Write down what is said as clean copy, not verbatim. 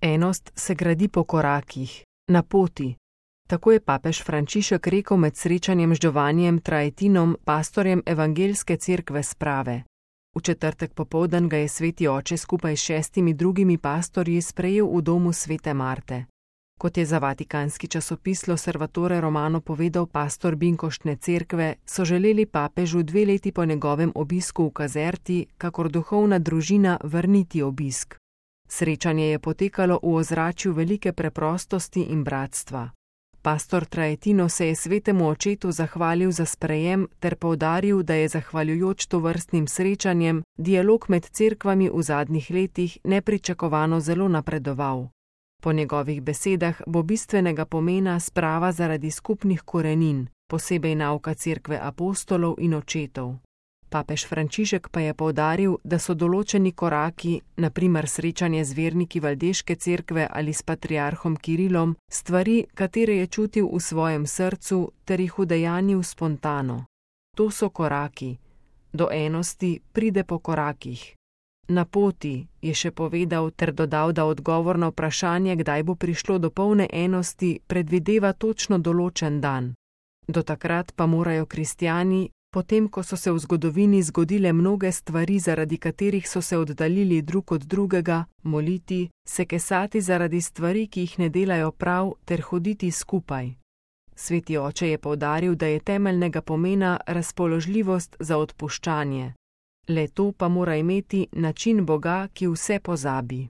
Enost se gradi po korakih, na poti. Tako je papež Frančišek rekel med srečanjem z Giovannijem Traetinom, pastorjem Evangeljske cerkve Sprave. V četrtek popoldan ga je sveti oče skupaj s 6 drugimi pastorji sprejel v domu svete Marte. Kot je za vatikanski časopis L'Osservatore Romano povedal pastor Binkoštne cerkve, so želeli papežu 2 leti po njegovem obisku v Kazerti, kakor duhovna družina, vrniti obisk. Srečanje je potekalo v ozračju velike preprostosti in bratstva. Pastor Traetino se je svetemu očetu zahvalil za sprejem ter poudaril, da je zahvaljujoč tovrstnim srečanjem dialog med cerkvami v zadnjih letih nepričakovano zelo napredoval. Po njegovih besedah bo bistvenega pomena sprava zaradi skupnih korenin, posebej nauka cerkve apostolov in očetov. Papež Frančišek pa je poudaril, da so določeni koraki, na primer srečanje z verniki Valdeške cerkve ali s patriarhom Kirilom, stvari, katere je čutil v svojem srcu ter jih udejanjil spontano. To so koraki. Do enosti pride po korakih. Na poti, je še povedal ter dodal, da odgovor na vprašanje, kdaj bo prišlo do polne enosti, predvideva točno določen dan. Do takrat pa morajo kristjani, potem ko so se v zgodovini zgodile mnoge stvari, zaradi katerih so se oddaljili drug od drugega, moliti, se kesati zaradi stvari, ki jih ne delajo prav, ter hoditi skupaj. Sveti oče je poudaril, da je temeljnega pomena razpoložljivost za odpuščanje. Le to pa mora imeti način Boga, ki vse pozabi.